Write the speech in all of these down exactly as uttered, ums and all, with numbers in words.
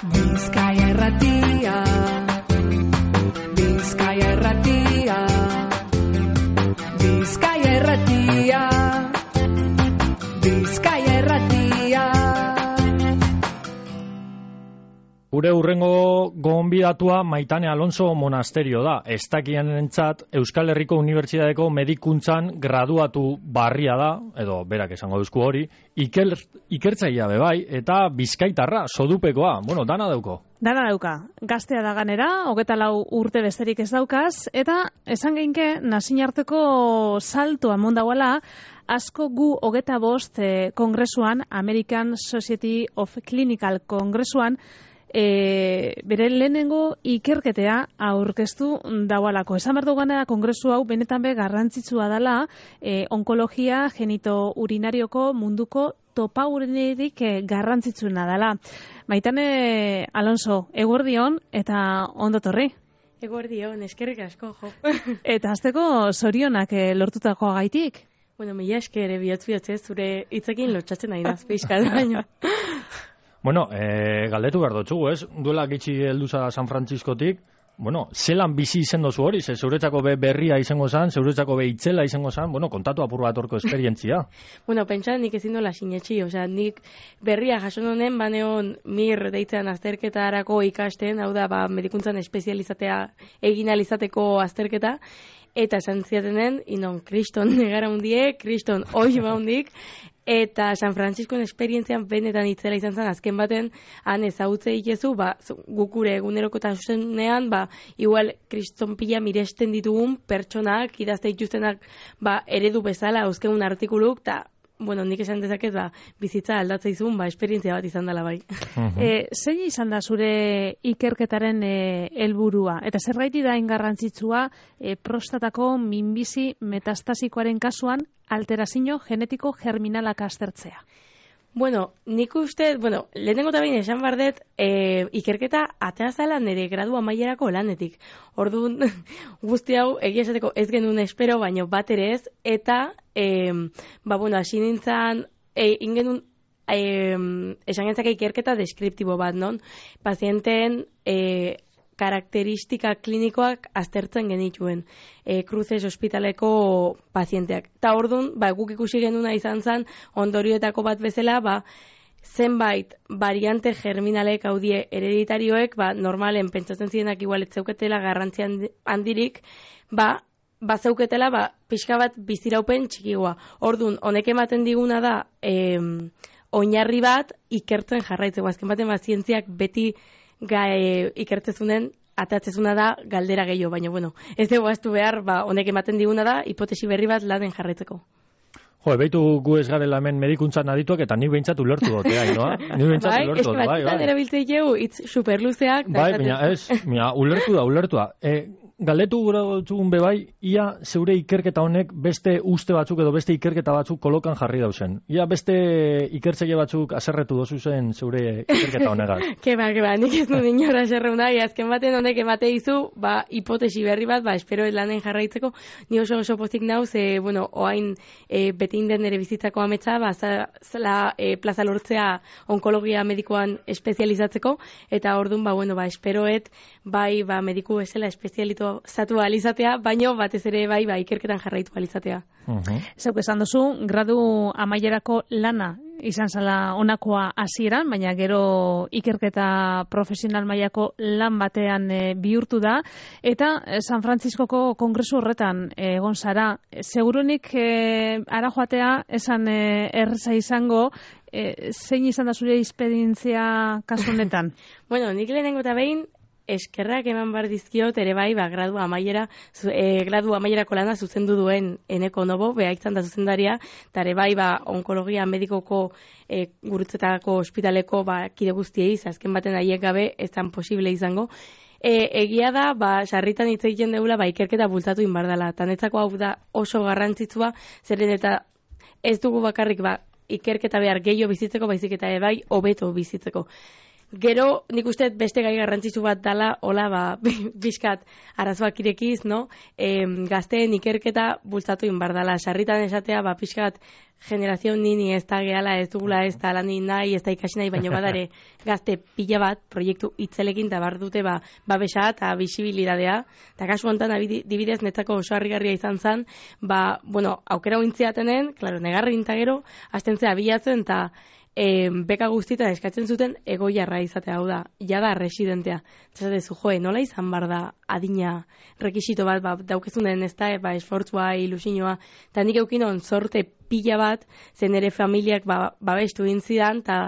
Bizkaia Irratia, Bizkaia Irratia, Bizkaia Irratia, Bizkaia Irratia. Gure hurrengo gonbidatua Maitane Alonso Monasterio da. Estakianentzat Euskal Herriko Unibertsitateko medikuntzan graduatu barria da, edo berak esango duzku hori, iker, ikertzailea bebai, eta bizkaitarra, sodupekoa, bueno, dana dauko. Dana dauka, gaztea da ganera, hogeta lau urte besterik ez daukaz, eta esan geinke nazioarteko saltoa mondauala, asko gu hogeta bost eh, kongresuan, American Society of Clinical Kongresuan, E, bere lehenengo ikerketea aurkeztu daualako. Esan behar dugana kongresu hau benetan be garrantzitsua dela e, onkologia genito urinarioko munduko topaurenerik e, garrantzitsuena dela. Maitane Alonso, eguerdion eta ondo torri. Eguerdion, eskerrik asko, jo. Eta hasteko zorionak e, lortutako gaitik. Bueno, mila esker bihotz bihotzez zure hitzekin lotxatzen nahi daz, pixka baino. Bueno, eh, galdetu behar dutxugu, ez? Duela gitxi helduza San Frantziskotik, bueno, zelan bizi izen dozu hori, ze zeuretzako be berria izango zan, zeuretzako be itzela izango zan, bueno, kontatu apur bat orko esperientzia. Bueno, pentsa nik ezin dola sinetxi, osea, nik berria jason honen, baneon mir deitzen azterketarako ikasten, hau da, ba, medikuntzan espezializatea egin alizateko azterketa, eta esan ziatenen, inon, kriston negara hundie, kriston hoi ba hundik, eta San Frantziskoen esperientzian benetan itzela izan zen, azken baten, han ezagutze ikezu, ba, gukure egunerokotasunean, ba, igual kriston pila miresten ditugun pertsonak, idazte dituztenak, ba, eredu bezala, euskegun artikuluk, eta, bueno, nik esan dezaket, ba, bizitza aldatza izun, ba, esperientzia bat izan dela bai. Uh-huh. e, zein izan da zure ikerketaren helburua? E, eta zergaiti da ingarrantzitsua e, prostatako minbizi metastasikoaren kasuan alterazio genetiko germinalak aztertzea? Bueno, nik uste, bueno, lehenengo eta behin esan bardet, e, ikerketa ateazala nire gradu amaierako lanetik. Orduan, guzti hau egia esateko ez genuen espero, baino bat ere ez, eta, e, ba, bueno, hasi nintzen, e, ingenun, e, esan gentzake ikerketa deskriptibo bat, non? Pazienteen, e, karakteristika klinikoak aztertzen genituen e, Cruces ospitaleko pazienteak. Ta orduan, ba, guk ikusi genuna izan zen, ondorioetako bat bezala, ba, zenbait variante germinalek haudie hereditarioek, ba, normalen pentsatzen zirenak igual etzeuketela garrantzi handirik, ba, ba zeuketela, ba, pixka bat biziraupen txikigoa. Orduan, honek ematen diguna da, e, oinarri bat ikertzen jarraitzeko. Azken baten, ba, zientziak beti gai ikertzezunen atatzezuna da galdera gehiago, baina bueno, ez dugu aztu behar, ba, honek ematen diguna da, hipotesi berri bat lanen jarraitzeko. Jo, beitu gu ez garela hemen medikuntzan adituak, eta nik behintzat ulertu dut, eh, no? Nik behintzat bai, ulertu dut, bai, bai. Bai, eski erabiltzei jau, hitz superluzeak. Bai, baina ez, mira, ulertu da, ulertu da. E, galdetu gura dutzugun bebai, ia zeure ikerketa honek beste uste batzuk edo beste ikerketa batzuk kolokan jarri dauzen. Ia beste ikertzaile batzuk aserretu dozu zen zeure ikerketa honegaz. Keba, keba, nik ez dut inora aserreun nahi, azken baten honek emate izu, ba, hipotesi berri bat, ba, espero lanen jarraitzeko, ni oso oso pozik nauz, e, bueno, oain e, beti inden ere bizitzako ametsa, ba, zela e, plaza lortzea onkologia medikoan espezializatzeko, eta orduan, ba, bueno, ba, esperoet, bai, ba, mediku esela espezialitu zatu alizatea, baino batez ere bai, ba, ikerketan jarraitu alizatea. Uh-huh. Zeuk esan duzu, gradu amaierako lana izan zala honakoa hasieran, baina gero ikerketa profesional mailako lan batean e, bihurtu da, eta San Frantziskoko kongresu horretan e, egon zara. Segurunik e, ara joatea esan e, erreza izango, e, zein izan da zure esperientzia kasu honetan? Bueno, nik lehenengo eta behin, eskerrak eman bar dizkiot ere bai, ba, gradu amaiera, e, gradu amaierako lana zuzendu duen Eneko Nobo, beha izan da zuzendaria, eta ere bai, ba, onkologia medikoko e, gurutzetako ospitaleko ba, kide guztiei, azken baten haiek gabe ez dan posible izango. E, egia da, ba, sarritan hitz egiten deula, ba, ikerketa bultzatu inbardala, eta netzako hau da oso garrantzitsua, zeren eta ez dugu bakarrik, ba, ikerketa behar gehiago bizitzeko, baizik eta ere bai, hobeto bizitzeko. Gero, nik uste beste gai garrantzitsu bat dala, hola, ba, bizkat arazoak irekiz, no? E, gazteen ikerketa bultzatu inbar dala. Sarritan esatea, ba, bizkat generazio nini ez da gehala, ez dugula, ez da lan nahi, ez da ikasi nahi, baino badare gazte pila bat, proiektu itzelekin, eta bar dute, ba, babesa eta bisibilidadea. Eta kasu honetan, dibidez, netzako oso harrigarria izan zen, ba, bueno, aukera ointziatenen, klaro, negarri intagero, hasten zea bilatzen, eta E, beka guztita eskatzen zuten egoiarra izatea, hau da, jada residentea. Zatezu, joe, nola izan bar da adina rekisito bat, ba, daukezunen ez da, ba, esfortzua, ilusinoa, eta nik eukinon sorte pila bat, zen ere familiak ba, babestu intzidan, eta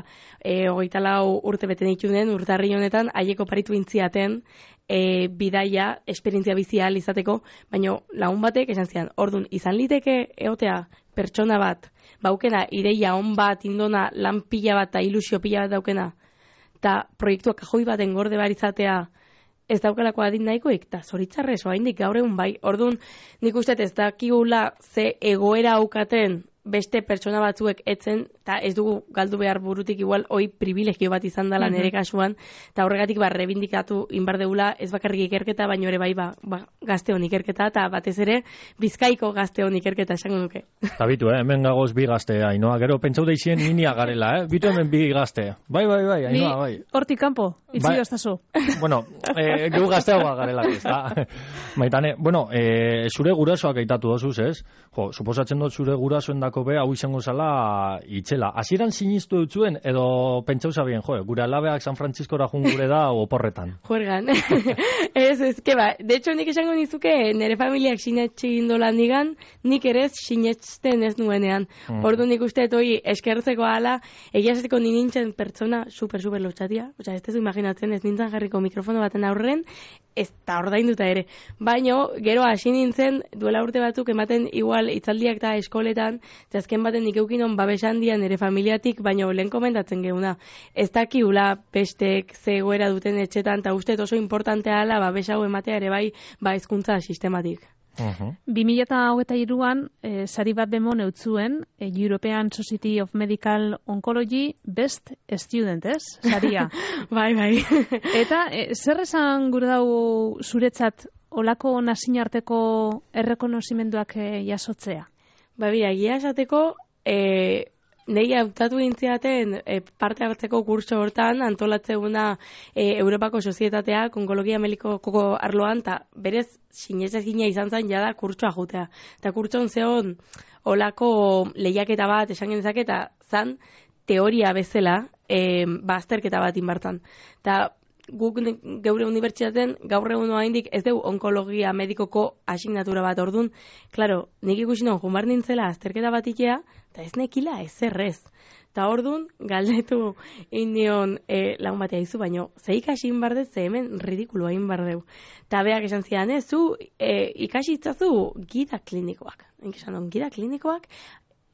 e, hogeita lau urte beten itunen, urtarri honetan, haieko paritu intziaten, e, bidaia, esperientzia bizial izateko, baino lagun batek esan zidan, ordun izan liteke eotea pertsona bat, baukena ideia on bat, indona lan pila bat eta ilusio pila bat daukena, eta proiektuak kajoi baten gorde bar izatea ez daukalako adin nahikoik, eta zoritzarrez, oaindik gaur egun bai, orduan nik uste ez dakigula ze egoera aukaten beste pertsona batzuek etzen, eta ez dugu galdu behar burutik igual hoi privilegio bat izan dela nere kasuan, eta horregatik ba, rebindikatu inbar deula, ez bakarrik ikerketa, baino ere bai ba, ba, gazteon ikerketa, eta batez ere bizkaiko gazteon ikerketa esango nuke. Eta bitu, eh? Hemen gagoz bi gazte, Ainoa, gero pentsau deixien ninia garela, eh? Bitu hemen bi gazte. Bai, bai, bai, Ainoa, bai. Hortik kanpo, itzi bai. Oztazu. Bueno, eh, geu gazteagoa garela, ez da? Maitane, bueno, eh, zure gurasoak aitatu dozuz, ez? Jo, suposatzen dut zure gurasoen dako be, hau izango zala itxela. Hasieran sinistu dutzuen, edo pentsau zabien, jo, gure alabeak San Franciscora jun gure da oporretan. Juergan. ez, ez, que ba, de hecho nik esango nizuke, nire familiak sinetxe gindolan digan, nik ere sinetzen ez nuenean. Mm. Ordu nik uste toi eskertzeko ala, egia esateko ni nintzen pertsona super, super lotxatia, osea, ez tezu imaginatzen, ez nintzen jarriko mikrofono baten aurren, ez da ordainduta ere. Baino, gero hasi nintzen, duela urte batzuk ematen igual itzaldiak eta eskoletan, eta azken baten nik eukinon babesan dian ere familiatik, baino lehen komendatzen geuna. Ez dakiula bestek zegoera duten etxetan, eta uste oso importantea ala babesago ematea ere bai, ba hezkuntza sistematik. Uh-huh. bi mila hogeita hiruan eh, sari bat bemon eutzuen eh, European Society of Medical Oncology Best Student, ez? Saria. bai, bai. Eta eh, zer esan gure dau zuretzat olako nasinarteko errekonozimenduak eh, jasotzea? Ba, bira, gira esateko, eh, Nei hautatu gintziaten e, parte hartzeko kurso hortan antolatzeuna e, Europako sozietateak onkologia medikoko arloan, eta berez sinezezina izan zen jada kurtsoa jutea. Eta kurtsoan zeon olako lehiaketa bat esan genezak eta zan teoria bezala e, bazterketa bat inbartan. Eta guk geure unibertsitaten gaur egun oraindik ez dugu onkologia medikoko asignatura bat ordun. Claro, nik ikusi non jumar nintzela azterketa bat itea, eta ez nekila ez errez. Eta ordun galdetu indion e, lagun batea izu, baino ze ikasi inbardez, ze hemen ridikuloa inbardeu. Eta beak esan zidan, ez, zu e, ikasi itzazu gida klinikoak. Nik esan on, gida klinikoak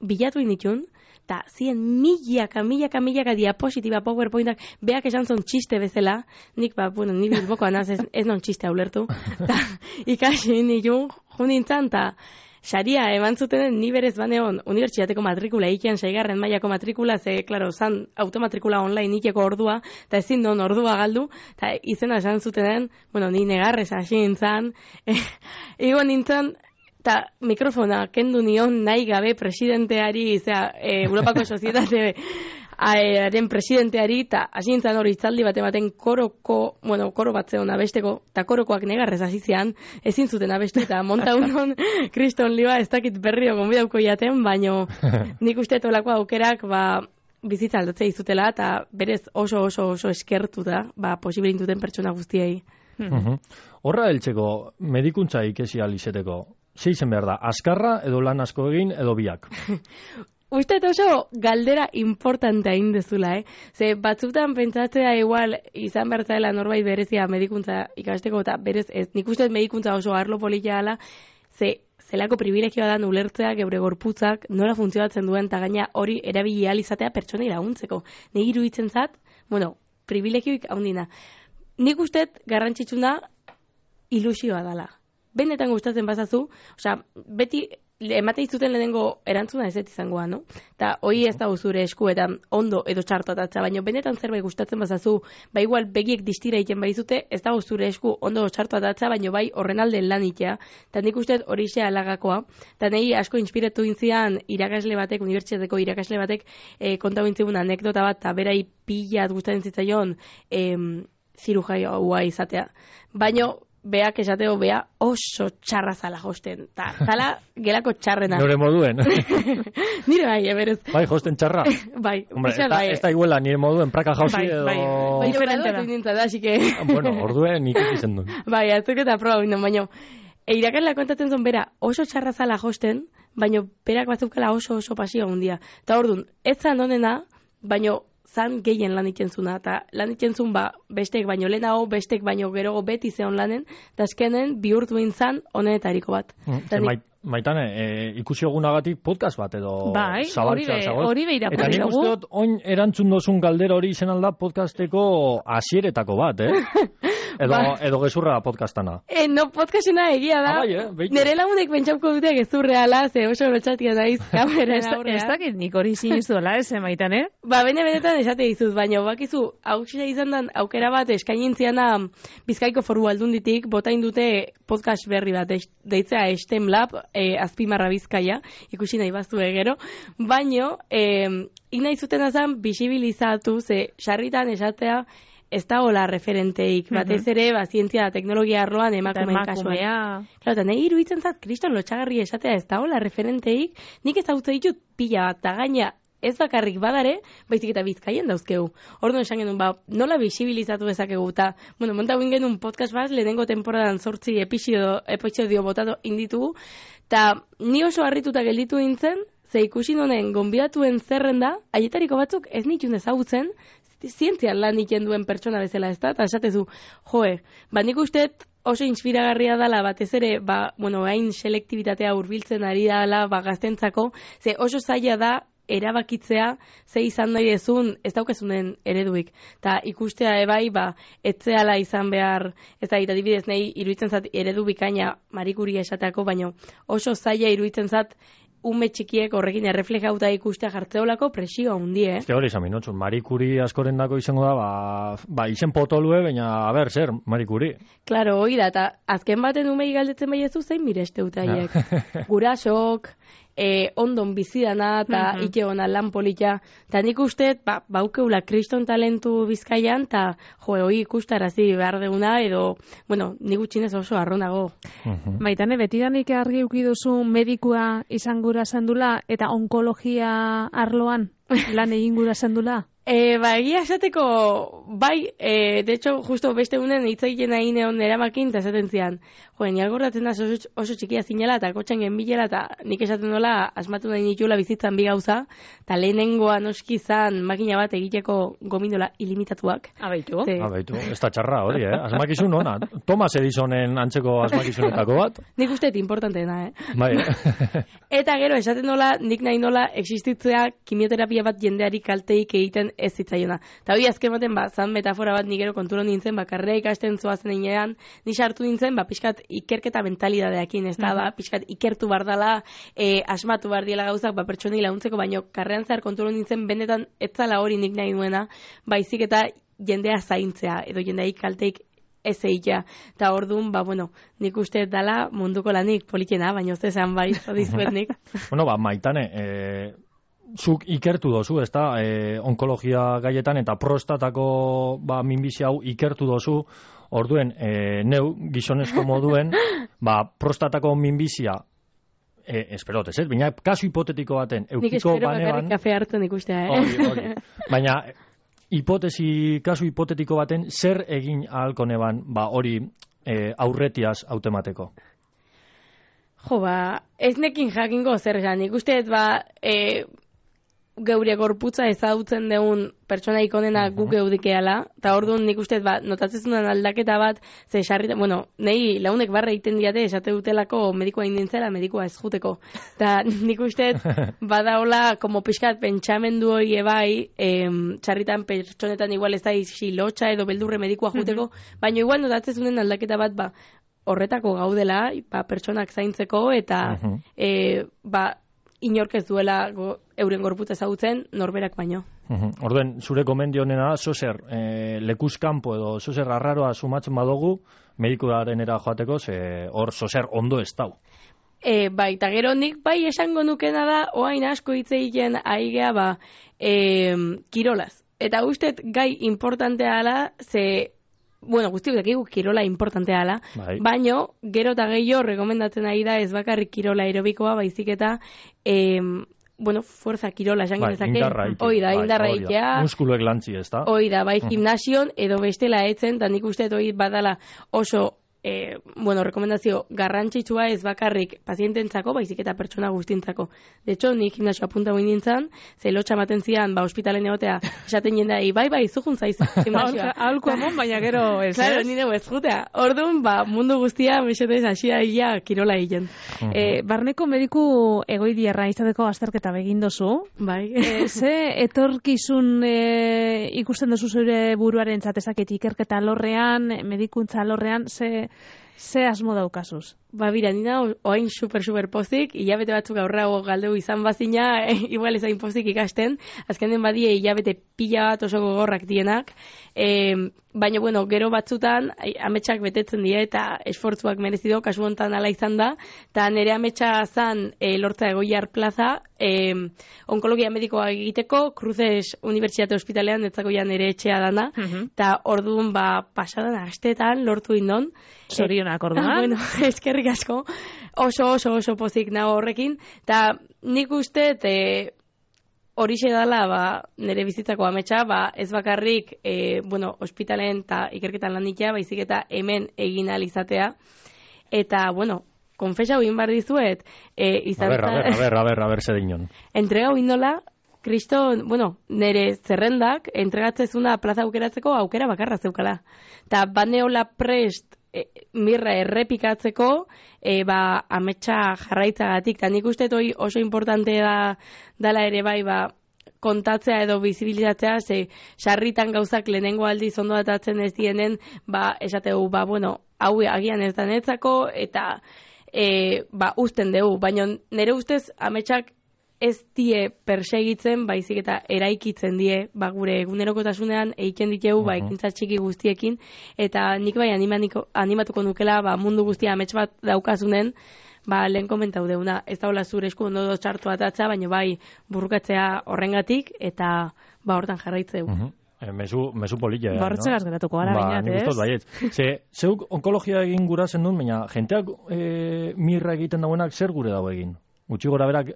bilatu initun, eta ziren milaka, milaka, milaka diapositiba PowerPointak beak esan zon txiste bezala, nik, ba, bueno, ni bilboko anaz ez, ez non txiste ulertu, eta ikasi nitun, junintzan, eta saria eman zutenen ni berez baneon unibertsitateko matrikula ikian seigarren mailako matrikula, ze, klaro, zan automatrikula online ikeko ordua, eta ezin don ordua galdu, eta izena esan zutenen, bueno, ni negarrez hasi nintzen, eh, igo nintzen, eta mikrofona kendu nion nahi gabe presidenteari, zera, e, Europako Sozietate haren presidenteari, eta hasi nintzen hori itzaldi bat ematen koroko, bueno, koro bat zeon abesteko, eta korokoak negarrez hasi zian, ezin zuten abestu, eta monta unon kriston liba ez dakit berrio gonbidauko jaten, baino nik uste tolako aukerak, ba, bizitza aldatzea izutela, eta berez oso oso oso eskertu da, ba, posibilintuten pertsona guztiei. Uh-huh. Horra heltzeko, medikuntza ikesi alizeteko, ze izen behar da, azkarra edo lan asko egin edo biak? Uste oso galdera importantea indezula, eh? Ze batzutan pentsatzea igual izan behar zaela norbait berezia medikuntza ikasteko, eta berez ez, nik uste medikuntza oso arlo politia ala, ze zelako privilegioa da ulertzea geure gorputzak nola funtzionatzen duen, eta gaina hori erabili ahal izatea pertsonei laguntzeko. Nik iruditzen zat, bueno, privilegioik haundina. Nik uste garrantzitsuna ilusioa dala. Benetan gustatzen bazazu, osea, beti emate izuten lehenengo erantzuna ez izangoa, no? Eta hoi ez dago zure esku eta ondo edo txarto atatza, baina benetan zerbait gustatzen bazazu, ba igual begiek distira egiten baizute, ez dago zure esku ondo txarto atatza, baina bai horren alde lan itea. Eta nik uste hori xe alagakoa, eta nahi asko inspiratu intzian irakasle batek, unibertsitateko irakasle batek, e, konta bintzibun anekdota bat, eta berai pila gustatzen zitzaion e, zirujaioa izatea. Baina beak esateo bea oso txarra zala josten. Ta, zala gelako txarrena. Nore moduen. Nire bai, eberez. Bai, josten txarra. Bai. Hombre, ez da, ez da iguela nire moduen praka jauzi Bai, edo... bai. Bai, Diferente da. nintzen da, así que... Bueno, orduen nik izen duen. Bai, atzuk eta proba binden, baina e, irakasla kontatzen zuen bera oso txarra zala josten, baina berak batzukala oso oso pasio handia. Eta orduan, ez zan honena, baina zan gehien lan ikentzuna, eta lan ikentzun ba, bestek baino lehenago, bestek baino gerogo beti zeon lanen, eta azkenen bihurtu intzan honenetariko bat. Mm, ze mait, maitane, e, ikusi egunagatik podcast bat edo Bai, hori zabaltzea be, zagoz. hori be Eta irakurri nik dugu. uste dut, oin erantzun dozun galdera hori izen alda podcasteko hasieretako bat, eh? Edo, Ba. edo gezurra podcastana. E, no, podcastena egia da. Ah, bai, eh? Beitu. Nere lagunek pentsauko dute gezurreala, ze oso lotxatia naiz kameren Ez, ez aurrean. dakit nik hori sinistu dola, ez emaitan, eh? Ba, bene benetan esate dizut, baina bakizu, hausia izan den aukera bat eskainintziana Bizkaiko Foru Aldunditik botain dute podcast berri bat, es, deitzea Stem Lab, e, Azpimarra Bizkaia, ikusi nahi baztu gero, baino, e, ina izuten azan bisibilizatu, ze sarritan esatea, ez da hola referenteik, batez ere, ba, zientzia da teknologia arloan emakumeen kasuan. emakumea. Claro, eta nahi iruditzen zat, kriston lotxagarri esatea ez da hola referenteik, nik ezagutze ditut pila bat, eta gaina ez bakarrik badare, baizik eta Bizkaien dauzkegu. Orduan esan genuen, ba, nola bisibilizatu dezakegu, eta, bueno, monta guen genuen podcast bat, lehenengo temporadan zortzi episodio, episodio botatu inditugu, eta ni oso harrituta gelditu nintzen, ze ikusi nonen gonbidatuen zerrenda, haietariko batzuk ez nituen ezagutzen, zientzian lan iken duen pertsona bezala ez da, eta esatezu, joe, ba nik usteet oso inspiragarria dela batez ere, ba, bueno, hain selektibitatea hurbiltzen ari dela, ba, gaztentzako, ze oso zaila da erabakitzea ze izan nahi dezun ez daukazunen ereduik. Ta ikustea ebai, ba, etzeala izan behar, ez da, eta adibidez nahi iruditzen zat eredu bikaina marikuria esateako, baino oso zaila iruditzen zat ume txikiek horrekin erreflejauta ikustea jartzeolako presio handie, eh? Ez hori esan minotxun, marikuri askoren dako izango da, ba, ba izen potolue, baina, a ber, zer, marikuri. Claro, hoi da, eta azken baten umei galdetzen baiezu zein mireste utaiek. Gurasok, e, ondon bizidana, eta Mhm. ike ona lan polita, eta nik usteet, ba, baukeula kriston talentu Bizkaian, eta jo, hoi ikustarazi behar deuna, edo, bueno, nik utxinez oso arronago. Mhm. Baitane, betidanik argi uki duzu medikua izan gura zendula eta onkologia arloan lan egin gura zendula? E, ba, egia esateko, bai, e, de hecho, justo beste unen hitz egiten nahi neon eramakin, eta esaten zian, joen, nialgorratzen da oso, oso txikia zinela, eta kotxen genbilela, eta nik esaten dola, asmatu nahi nitula bizitzan bi gauza, eta lehenengoa noski zan makina bat egiteko gomindola ilimitatuak. Abaitu. Ze, Abaitu, ez da txarra hori, eh? Asmakizun ona. Thomas Edisonen antzeko asmakizunetako bat. nik usteet importanteena, eh? Bai, eh? Eta gero, esaten nola, nik nahi nola existitzea kimioterapia bat jendeari kalteik egiten ez zitzaiona. Eta hori azken baten, ba, zan metafora bat nik gero konturon nintzen, ba, karrera ikasten zoazen inean, ni sartu nintzen, ba, pixkat ikerketa mentalidadeakin, ez da, ba, pixkat ikertu bardala, e, asmatu bardiela gauzak, ba, pertsonei laguntzeko, baino karrean zehar konturon nintzen, benetan ez zala hori nik nahi duena, baizik eta jendea zaintzea, edo jendeai kalteik ez egitea. Eta orduan, ba, bueno, nik uste dala munduko lanik politena, baina ez esan bai, zodizuet nik. Bueno, ba, Maitane, eh, zuk ikertu dozu, ez da, eh, onkologia gaietan eta prostatako ba, minbizi hau ikertu dozu, orduen, eh, neu, gizonezko moduen, ba, prostatako minbizia, eh, esperot, ez, baina kasu hipotetiko baten, Nik eukiko espero bakarrik banean, kafe hartzen ikustea, eh? hori, hori. Baina, hipotesi, kasu hipotetiko baten, zer egin ahalko neban, ba, hori eh, aurretiaz hautemateko? Jo, ba, ez nekin jakingo zer esan. Ikusteet, ba, e, geure gorputza ezagutzen deun pertsona ikonena guk geudikeala, eta orduan nik usteet, ba, notatzezunan aldaketa bat, ze sarri, bueno, nahi launek barra egiten diate esate dutelako medikoa indintzela, medikoa ez juteko. Eta nik usteet, badaola, como pixkat pentsamendu hori ebai, em, txarritan pertsonetan igual ez da izi lotxa edo beldurre medikoa juteko, baina igual notatzezunen aldaketa bat, ba, horretako gaudela, ba, pertsonak zaintzeko, eta Mhm. e, ba, inork ez duela go, euren gorputza ezagutzen norberak baino. Mhm. Orduen, zure gomendio honena da, zozer e, lekuzkanpo edo zozer arraroa sumatzen badugu, medikuaren era joateko, ze hor zozer ondo ez dau. E, bai, eta gero nik bai esango nukena da, oain asko hitz egiten aigea, ba, e, kirolaz. Eta ustet gai importantea ala, ze, bueno, guztiak dakigu kirola importantea ala, Bai. baino, gero eta gehiago rekomendatzen ari da ez bakarrik kirola aerobikoa, baizik eta, e, bueno, fuerza kirola, esan Bai, genezake. indarra egitea. Hoi da, Bai, indarra hori da. egitea. Muskuluek lantzi, ez da? Hoi da, bai, gimnasion edo bestela etzen, eta nik uste hori badala oso, e, bueno, rekomendazio garrantzitsua ez bakarrik paziententzako, baizik eta pertsona guztientzako. De hecho, nik gimnasio apunta guin nintzen, ze lotxa ematen zian, ba, ospitalen egotea, esaten jendai, bai, bai, zujun zaiz, gimnasioa. Aholku amon, baina gero ez, Claro, ez? nire ez jutea. Orduan, ba, mundu guztia, mesetez, hasia ia kirola egiten. E, barneko mediku egoidiarra izateko azterketa begin dozu. Bai. E, ze etorkizun e, ikusten duzu zure buruaren zatezakit ikerketa alorrean, medikuntza alorrean, ze, ze asmo daukazuz? Ba, bira, nina oain super, super pozik, hilabete batzuk aurrago galdeu izan bazina, e, igual ezain pozik ikasten, azkenen badie hilabete pila bat oso gogorrak dienak, e, baina, bueno, gero batzutan, ai, ametsak betetzen die eta esfortzuak merezido, kasu hontan ala izan da, eta nire ametsa zan e, lortza egoiar plaza, e, onkologia medikoa egiteko, Cruces Unibertsitate Hospitalean, netzako ja nire etxea dana, eta orduan, ba, pasadan astetan lortu indon. Zorionak orduan. Ah, bueno, eskerrik asko, oso, oso, oso pozik nago horrekin, eta nik uste, e, horixe dala, ba, nire bizitzako ametsa, ba, ez bakarrik, e, bueno, ospitalen eta ikerketan lan itea, baizik eta hemen egin ahal izatea, eta, bueno, konfesa huin bar dizuet, e, izan A ber, a ber, a ber, a ber, a ber, zer dinon. entrega huindola, kriston, bueno, nire zerrendak, entregatzezuna plaza aukeratzeko aukera bakarra zeukala. Ta baneola prest, e, mirra errepikatzeko, e, ba, ametsa jarraitzagatik. Ta nik uste toi oso importante da, dala ere bai, ba, kontatzea edo bizibilizatzea, ze sarritan gauzak lehenengo aldiz ondo datatzen ez dienen, ba, esateu, ba, bueno, hau agian ez da netzako, eta e, ba, usten dugu. Baina nire ustez ametsak ez die persegitzen, baizik eta eraikitzen die, ba, gure egunerokotasunean egiten ditegu, ba, ekintza txiki guztiekin, eta nik bai animaniko, animatuko nukela, ba, mundu guztia amets bat daukazunen, ba, lehen komentau deuna, ez daula zure esku ondo txartu atatza, baina bai burrukatzea horrengatik, eta ba, hortan jarraitzeu. Mhm. E, mezu, mezu polilla, Ba, horretzegaz geratuko gara, ba, bainat, nik ez? ustot baiet. Ze, zeuk onkologia egin gurazen duen, baina jenteak e, mirra egiten dauenak zer gure dago egin? Gutxi gora berak,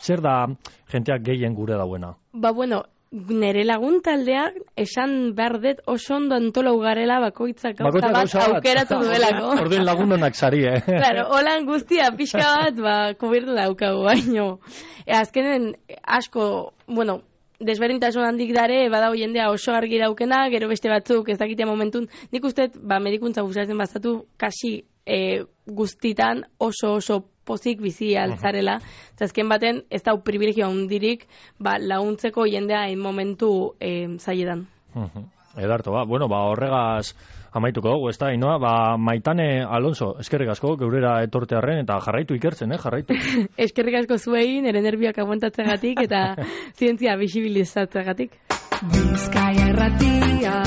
zer da jenteak gehien gure dauena? Ba, bueno, nere lagun taldeak esan behar dut oso ondo antolau garela bakoitzak gauza Bakoitzak bat gauza bat. aukeratu duelako. Orduen lagunonak sari, eh? Claro, holan guztia pixka bat, ba, kubirtu daukagu, baino. E, azkenen asko, bueno, desberdintasun handik dare, badau jendea oso argi daukena, gero beste batzuk ez dakitea momentun. Nik uste, ba, medikuntza gustatzen bazatu, kasi e, guztitan oso oso pozik bizi altzarela. Uh-huh. Azken baten, ez dau privilegio handirik, ba, laguntzeko jendea en momentu e, zailedan. Uh-huh. Edarto, ba, bueno, ba, horregaz amaituko dugu, ez da, inoa, ba, Maitane Alonso, eskerrik asko, geurera etortearren, eta jarraitu ikertzen, eh, jarraitu. Eskerrik asko zuei, nire nervioak aguantatzegatik, eta zientzia bisibilizatzegatik. Bizkaia Irratia.